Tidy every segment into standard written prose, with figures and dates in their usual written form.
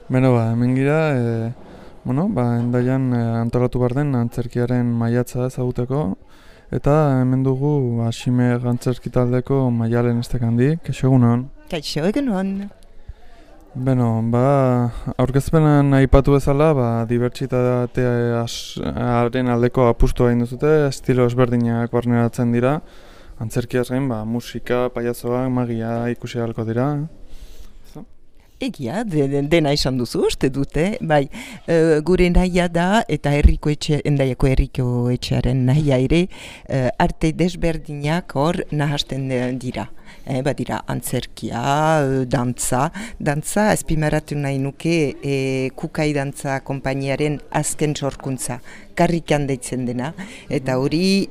Beno, hemen gira, Hendaian antolatu behar den antzerkiaren maiatza ezaguteko, eta hemen dugu Ximer antzerki taldeko Maialen Estekandi. Kaixo egunon. Kaixo egunon. Beno, aurkezpenan aipatu bezala, dibertsitatearen aldeko apustua egin duzute, estilo ezberdinak barneratzen dira, antzerkiaz gain, musika, paiazoak, magia ikusi ahalko dira. Egia, dena esan duzu, uste dute, gure nahia da, eta Hendaiako herriko etxearen nahia ere, arte desberdinak hor nahasten dira. Badira antzerkia, dantza azpimarratu nahi nuke Kukai dantza konpainiaren azken sorkuntza, karrikan deitzen dena, eta hori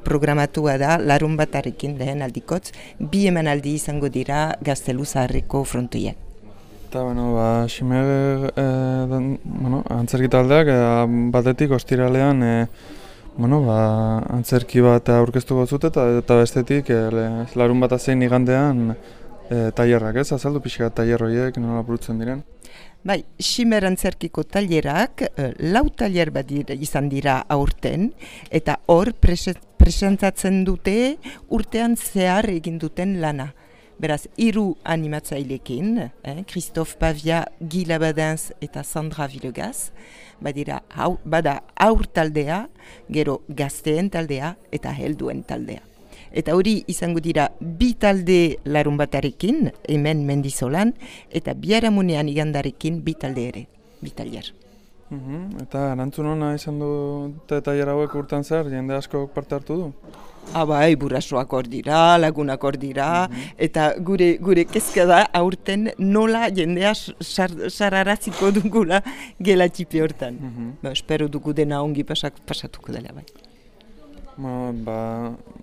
programatua da larunbatarekin lehen aldikotz, 2 emanaldi izango dira Gaztelu Zaharreko frontoian. Eta, Ximer antzerki taldeak batetik ostiralean antzerki bat aurkeztuko zute eta bestetik larun bat zein igandean tailerrak, ez? Azaldu pixka tailer horiek nola burutzen diren? Ximer antzerkiko tailerak 4 tailer bat izan dira aurten, eta hor presentatzen dute urtean zehar egin duten lana. Beraz, 3 animatzailekin, Christophe Pavia, Guy Labadens eta Sandra Villegas, bada aur taldea, gero gazteen taldea eta helduen taldea. Eta hori izango dira 2 talde larunbatarekin, hemen Mendizolan, eta biharamunean igandarekin 2 talde ere, 2 tailer. Eta erantzun hona izan dute tailer hauek urtean zer, jende asko parte hartu du? Burasoak hor dira, lagunak hor dira, eta gure kezka da aurten nola jendea sararaziko dugula gela txipi hortan. Espero dugu dena ongi pasatuko dela bai.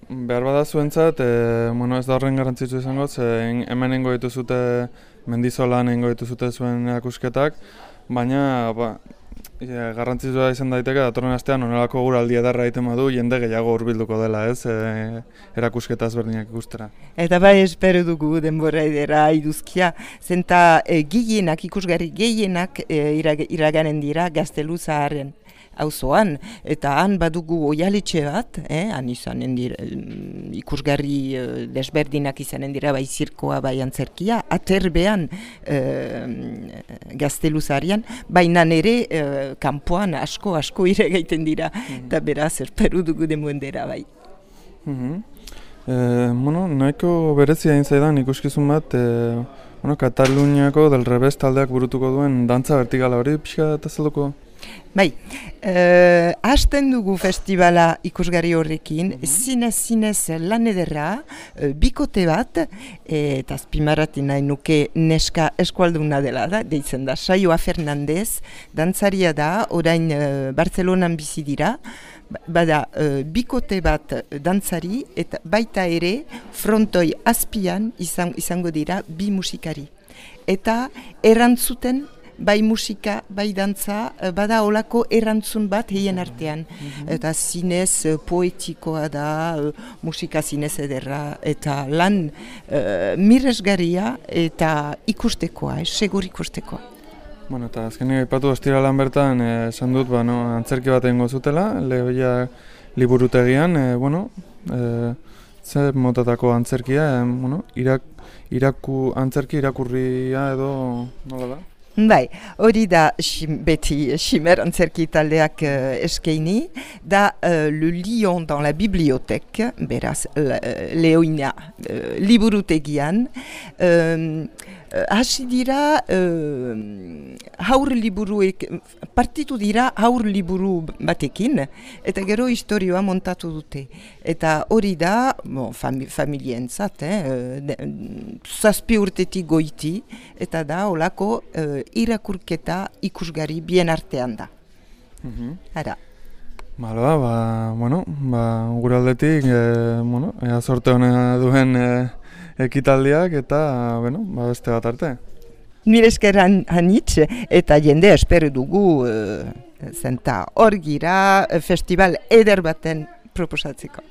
Behar bada zuentzat, ez da horren garrantzitsu izango, hemen nengo dituzute Mendizolan nengo dituzute zuen erakusketak, baina garrantzitsua izan daiteke datorren astean onelako guraldi edarra egiten badu jende gehiago hurbilduko dela, ez, erakusketa ezberdinak ikustera. Eta espero dugu denbora edera iduzkia, zenta ikusgarri gehienak iraganen dira Gaztelu Zaharren auzoan, eta han badugu oialetxe bat, han izanen dira ikusgarri desberdinak izanen dira, bai zirkoa, bai antzerkia, aterbean Gaztelu Zaharrean, baina ere kanpoan asko iragaiten dira, eta beraz espero dugu demuendera bai. Nahiko berezia egin zaidan ikuskizun bat, Kataluniako Del Revés taldeak burutuko duen dantza vertikala hori pixka eta zelduko? Hasten dugu festivala ikusgarri horrekin, zinez lan ederra, bikote bat, eta azpimarratu nahi nuke neska eskualduna dela da, deitzen da, Saioa Fernandez, dantzaria da, orain Bartzelonan bizi dira, bada bikote bat dantzari, eta baita ere frontoi azpian izango dira 2 musikari. Eta erantzuten bai musika, bai dantza, bada olako erantzun bat heien artean. Eta zinez poetikoa da, musika zinez ederra, eta lan miresgarria eta ikustekoa, segur ikustekoa. Eta azkenik aipatu ostiralan bertan, esan dut, antzerki bat egingo zutela, Lehoia liburutegian, ze motatako antzerkia, antzerki irakurria edo nola da? Hori da beti Ximer antzerki taldeak eskaini, da Le Lion dans la bibliothèque, beraz Lehoina liburutegian, hasi dira partitu dira haur liburu batekin, eta gero historioa montatu dute. Eta hori da, familientzat, 7 urtetik goiti, eta da olako irakurketa ikusgarri bien artean da. Ara. Gure aldetik, ea sorte honena duen ekitaldiak eta, beste bat arte. Nire eskeran hanitz, eta jende espero dugu zenta hor gira festival eder baten proposatzeko.